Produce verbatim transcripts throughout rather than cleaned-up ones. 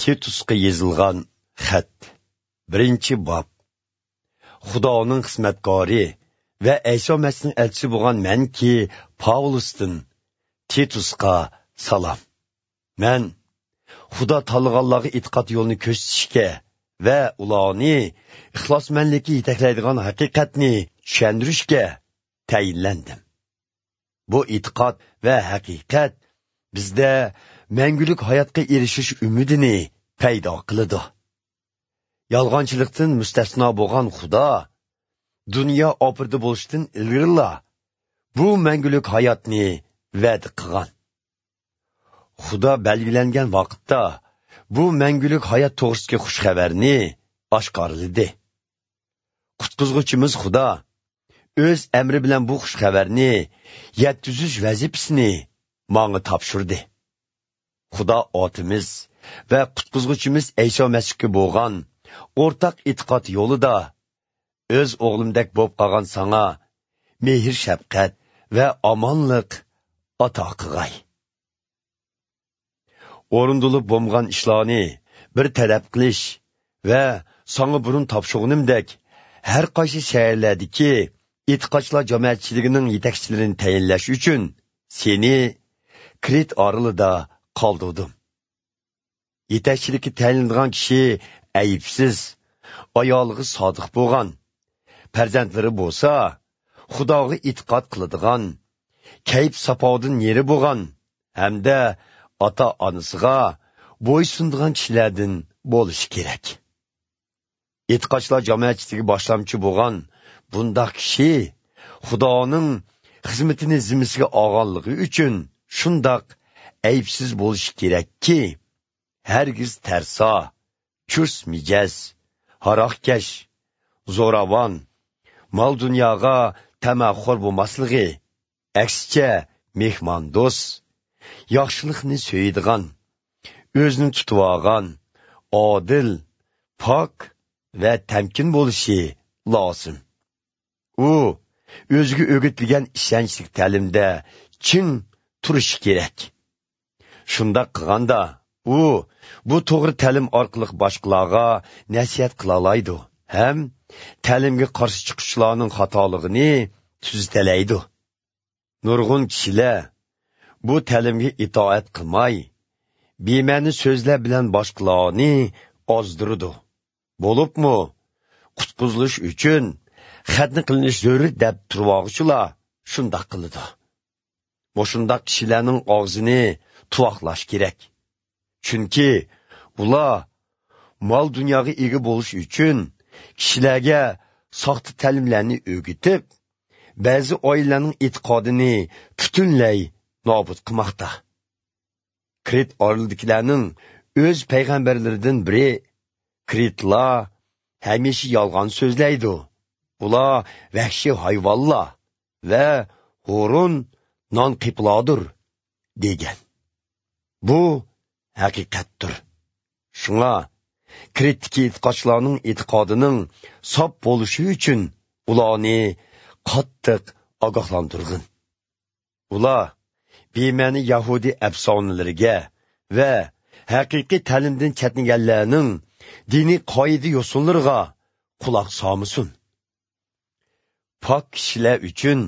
Titusga yozilgan xat. Birinchi bob. Xudoning xizmatkori va Iso Masihning elchisi bo'lgan manki Pavlusdan Titusga salom. Men Xudo tanlaganlarga e'tiqod yo'lini ko'rsatishga va ularni ixlosmandlikka yetaklaydigan haqiqatni tushuntirishga tayinlandim. Bu e'tiqod va haqiqat bizda mangulik hayotga erishish umidini paydo qiladi. Yolg'onchilikdan mustasno bo'lgan Xudo dunyo opirdi bo'lishdan ilgarila bu mangulik hayotni va'da qilgan. Xudo belgilangan vaqtda bu mangulik hayot to'g'risidagi xush xabarni oshkorladi. Qutqizg'uchimiz Xudo o'z amri bilan bu xush xabarni yetkazish vazifasini menga topshirdi. Xudo otimiz va qutqizg'uchimiz Iso Masihga bo'lgan o'rtaq e'tiqod yo'lida o'z o'g'limdek bo'lib qolgan sana mehr, shafqat va omonlik ato qilg'ay. O'rindilib bo'lgan ishlarni bir talab qilish va sana burun topshirganimdek har qaysi shaharlardagi e'tiqodchilar jamoatchiligining yetakchilarini tayinlash uchun seni Krit orolida qoldirdim. Yetakchilikka tayinlangan kishi aybsiz, ayoliga sodiq bo'lgan, farzandlari bo'lsa, Xudoga e'tiqod qiladigan, kayf safodan yeri bo'lgan hamda ota-onasiga bo'ysundigan kishilardan bo'lishi kerak. E'tiqodchilar jamoatchiligi boshlamchi bo'lgan bundaq kishi Xudoning xizmatini zimmasiga olganligi uchun shundoq aybsiz bo'lishi kerakki, hargiz tarso, chust mijoz, haroqkash, zo'ravon, mol dunyoga tamaxo'r bo'lmasligi, aksicha mehmondo'st, yaxshilikni so'yadigan, o'zini tutib olgan, odil, pok va tamkin bo'lishi lozim. U o'ziga o'rgatilgan ishonchli ta'limda chin turishi kerak. Shundoq qilganda u bu to'g'ri ta'lim orqali boshqalarga nasihat qila oladi ham ta'limga qarshi chiquvchilarning xatoligini tuzatalaydi. Nurg'un kishilar bu ta'limga itoat qilmay, bema'ni so'zlar bilan boshqalarni ozdiradi. Bo'libmi, qutqizilish uchun xatni qilinish zarur deb turvoqchilar shundoq qiladi. Moshundaq kishilarning og'zini tuvoqlash kerak. Chunki ular mol dunyoga ega bo'lish uchun kishilarga soxta ta'limlarni o'rgatib, ba'zi oilalarning e'tiqodini butunlay nobud qilmoqda. Krit orolidagilarning o'z payg'ambarlaridan biri Kritlar hamisha yolg'on so'zlaydi. Ular vahshiy hayvonlar va g'urun non qiplodir degan. Bu haqiqatdir. Shunga Kritdagi e'tiqodchilarning e'tiqodining sof bo'lishi uchun ularni qattiq ogohlantirgin. Ular bema'ni yahudi afsonalariga va haqiqiy ta'limdan chetlaganlarning diniy qoida yo'sinlariga quloq solmasin. Pok kishilar uchun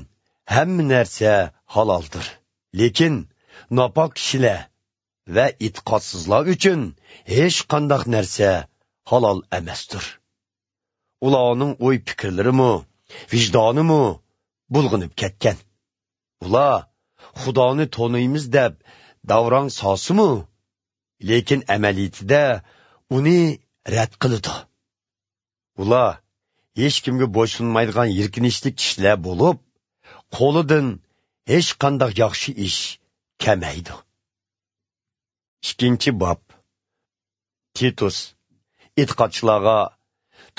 hamma narsa haloldir, lekin nopok kishilar va e'tiqodsizlar uchun hech qanday narsa halol emasdir. Ularning o'y fikrlarimi, vijdonimi bulg'inib ketgan. Ular Xudoni taniymiz deb davron solsimi, lekin amaliyotida uni rad qiladi. Ular hech kimga bo'ysunmaydigan yirkinishli kishilar bo'lib, qo'lidan hech qanday yaxshi ish kelmaydi. Ikkinchi bob. Titus e'tiqodchilarga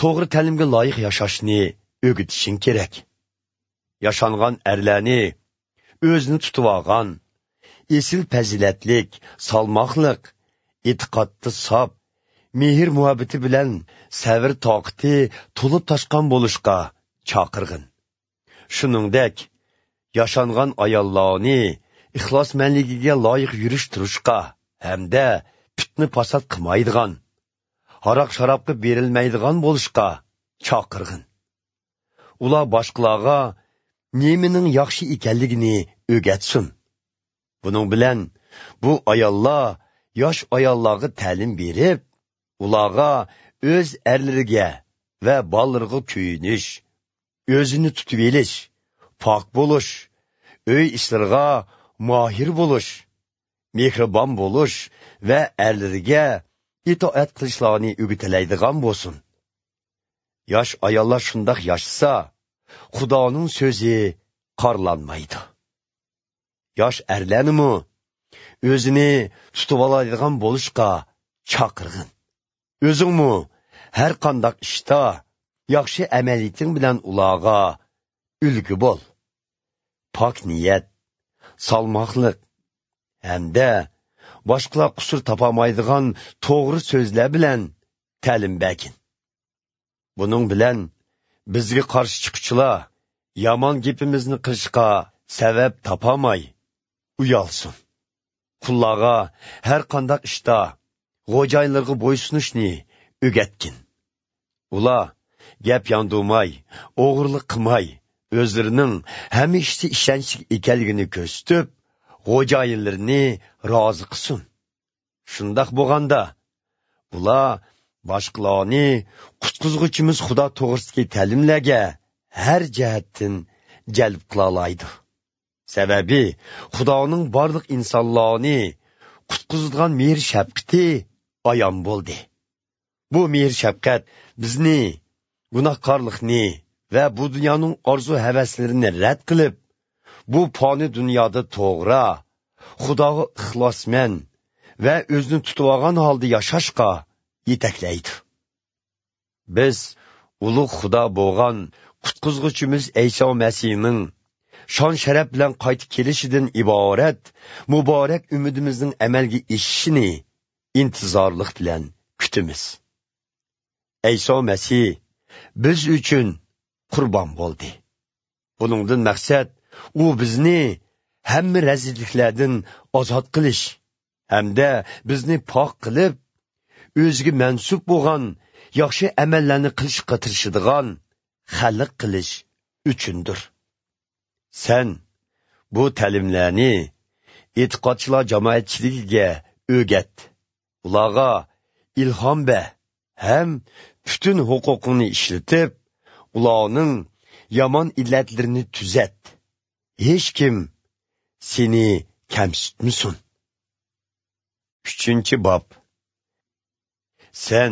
to'g'ri ta'limga loyiq yashashni o'rgatishing kerak. Yashangan erlarni o'zini tutib olgan, esil fazilatlik, salmoqliq, e'tiqodda sof, mehr muhabbati bilan sabr toqati to'lib toshgan bo'lishga chaqirg'in. Shuningdek, yashangan ayollarni ixlosmandligiga loyiq yurish turishga hamda fitna fasod qilmaydigan, haroq sharobga berilmaydigan bo'lishga chaqirg'in. Ular boshqalarga nemaning yaxshi ekanligini o'rgatsin. Buning bilan bu ayollar yosh ayollarga ta'lim berib, ularga o'z erlariga va bolalariga kuyinish, o'zini tutib olish, pok bo'lish, uy ishlariga mohir bo'lish, mehribon bo'lish va erlariga itoat qilishlarini o'rgatilaydigan bo'lsin. Yosh ayollar shundoq yashasa, Xudoning so'zi qorlanmaydi. Yosh erlarnimi o'zini tutib oladigan bo'lishga chaqirg'in. O'zingmi har qanday ishda yaxshi amaliyating bilan ularga ulgu bo'l. Pok niyat, salmoqliq hamda boshqalar qusur topamaydigan to'g'ri so'zlar bilan ta'lim bergin. Buning bilan bizga qarshi chiquvchilar yomon gapimizni qilishga sabab topolmay uyalsin. Qullarga har qanday ishda xo'jayinlarga bo'ysunishni o'rgatgin. Ular gap yandurmay, o'g'irlik qilmay, o'zlarining hamma ishda ishonchli ekanligini ko'rsatib, xo'jayinlarini rozi qilsin. Shundoq bo'lganda ular boshqalarni qutqizg'uchimiz Xudo to'g'risidagi ta'limlarga har jihatdan jalb qila oladi. Sababi Xudoning barliq insonlarni qutqizadigan mehr shafqati ayon bo'ldi. Bu mehr shafqat bizni gunohkorlikni va bu dunyoning orzu havaslarini rad qilib, bu foni dunyoda to'g'ri, Xudoga ixlosman va o'zini tutib olgan holda yashashga yetaklaydi. Biz ulug' Xudo bo'lgan qutqizg'uchimiz Ayso Masihning shon sharaf bilan qaytib kelishidan iborat muborak umidimizning amalga oshishini intizorlik bilan kutamiz. Ayso Masih biz uchun qurbon bo'ldi. Buningdan maqsad u bizni hamma razilliklardan ozod qilish hamda bizni pok qilib, o'ziga mansub bo'lgan yaxshi amallarni qilishga tirishadigan xalq qilish uchundir. Sen bu ta'limlarni e'tiqodchilar jamoatchiligiga o'rgat. Ularga ilhom ber ham butun huquqingni ishlatib, ularning yomon illatlarini tuzat. Hech kim seni kamsitmasin. Uchinchi bob. Sen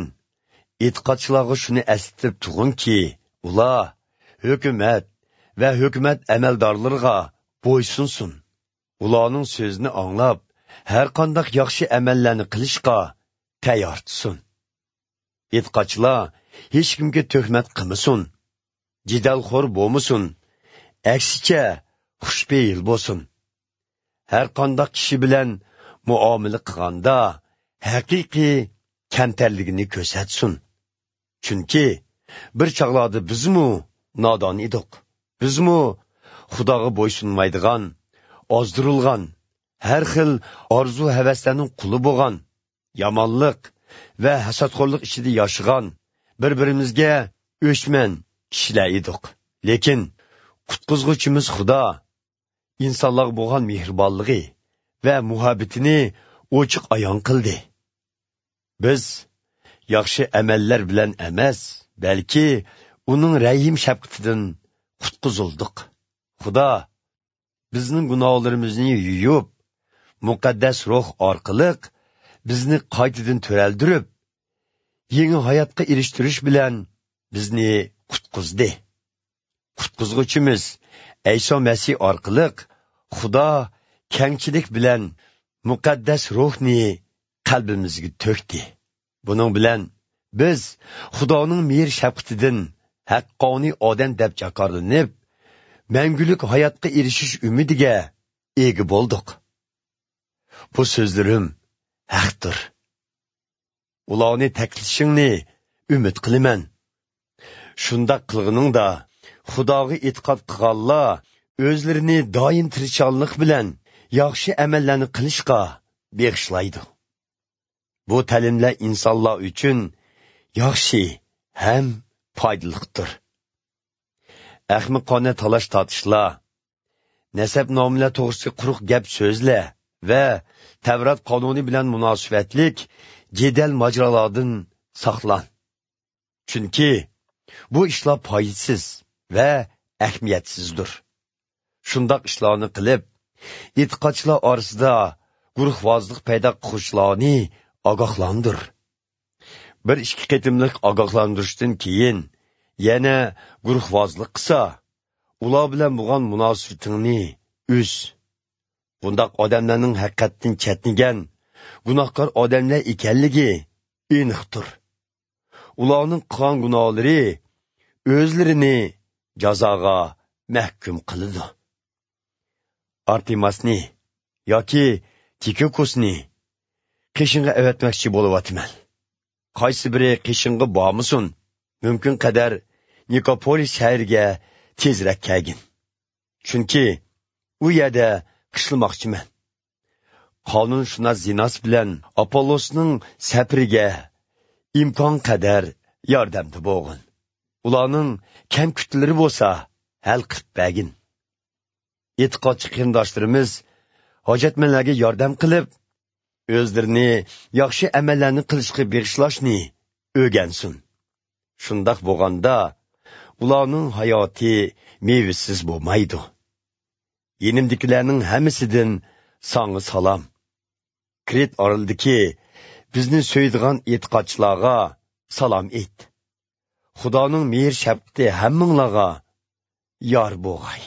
e'tiqodchilarga shuni eslatib turginki, ular hukumat va hukumat amaldorlariga bo'ysunsin. Ularning so'zini anglab, har qanday yaxshi amallarni qilishga tayyor tursin. E'tiqodchilar hech kimga tuhmat qilmasin, jidalxo'r bo'lmasin, aksicha xushpeyil bo'lsin. Har qanday kishi bilan muomala qilganda haqiqiy kamtarligini ko'rsatsin. Chunki bir chog'larda bizmu nodon edik. Bizmu Xudoga bo'ysunmaydigan, ozdirilgan, har xil orzu havaslarning quli bo'lgan, yomonlik va hasadxo'rlik ichida yashagan, bir-birimizga o'chman kishilar edik. Lekin qutqizg'uchimiz Xudo insonlarga bo'lgan mehribonligi va muhabbatini ochiq ayon qildi. Biz yaxshi amallar bilan emas, balki uning rahim shafqatidan qutqizildik. Xudo bizning gunohlarimizni yuvib, muqaddas ruh orqali bizni qaytadan to'raldirib, yangi hayotga erishtirish bilan bizni qutqizdi. Qutqizg'uchimiz Ayso Masih orqali Xudo kengchilik bilan muqaddas ruhni qalbimizga to'kdi. Buning bilan biz Xudoning mehr shafqatidan haqqoniy odam deb jakorlanib, mangulik hayotga erishish umidiga ega bo'ldik. Bu so'zlarim haqdir. Ularni taklishingni umid qilaman. Shundoq qilganingda Xudoga e'tiqod qilganlar o'zlarini doim tirishchanlik bilan yaxshi amallarni qilishga bag'ishlaydi. Bu ta'limlar insonlar uchun yaxshi ham foydalidir. Ahmoqona talash tortishlar, nasab nomlar to'g'risida quruq gap so'zlar va Tavrat qonuni bilan munosabatlik jadal mojarolardan saqlan. Chunki bu ishlar foydasiz va ahamiyatsizdir. Shundoq ishlarni qilib, e'tiqodchilar orasida guruhvozlik paydo qiluvchilarni ogohlandir. Bir ikki qitimliq ogohlantirishdan keyin yana guruhvozlik qilsa, ular bilan bo'lgan munosabatingni uz. Bundaq odamlarning haqiqatdan chetnigan gunohkor odamlar ekanligi aniqdir. Ularning qilgan gunohlari o'zlarini jazoga mahkum qiladi. Artemasni yoki Tikikosni qishinga avatmoqchi bo'lyapman. Qaysi biri qishinga bormasin, mumkin qadar Nikopolis shahriga tezroq kelgin. Chunki u yerda qishlamoqchiman. Qonunshunos Zinas bilan Apollosning safariga imkon qadar yordamda bo'lgin. Ularning kam kutlari bo'lsa, hal qilib bergin. E'tiqodchi qarindoshlarimiz hojatmanlarga yordam qilib, o'zlarini yaxshi amallarni qilishga bag'ishlashni o'rgansin. Shundoq bo'lganda ularning hayoti mevasiz bo'lmaydi. Yenimdikilarning hammasidan sanga salom. Kret orolidagi bizni so'ydigan e'tiqodchilarga salom ayt. Xudoning mehr shafqati hammanglarga yor bo'lg'ay.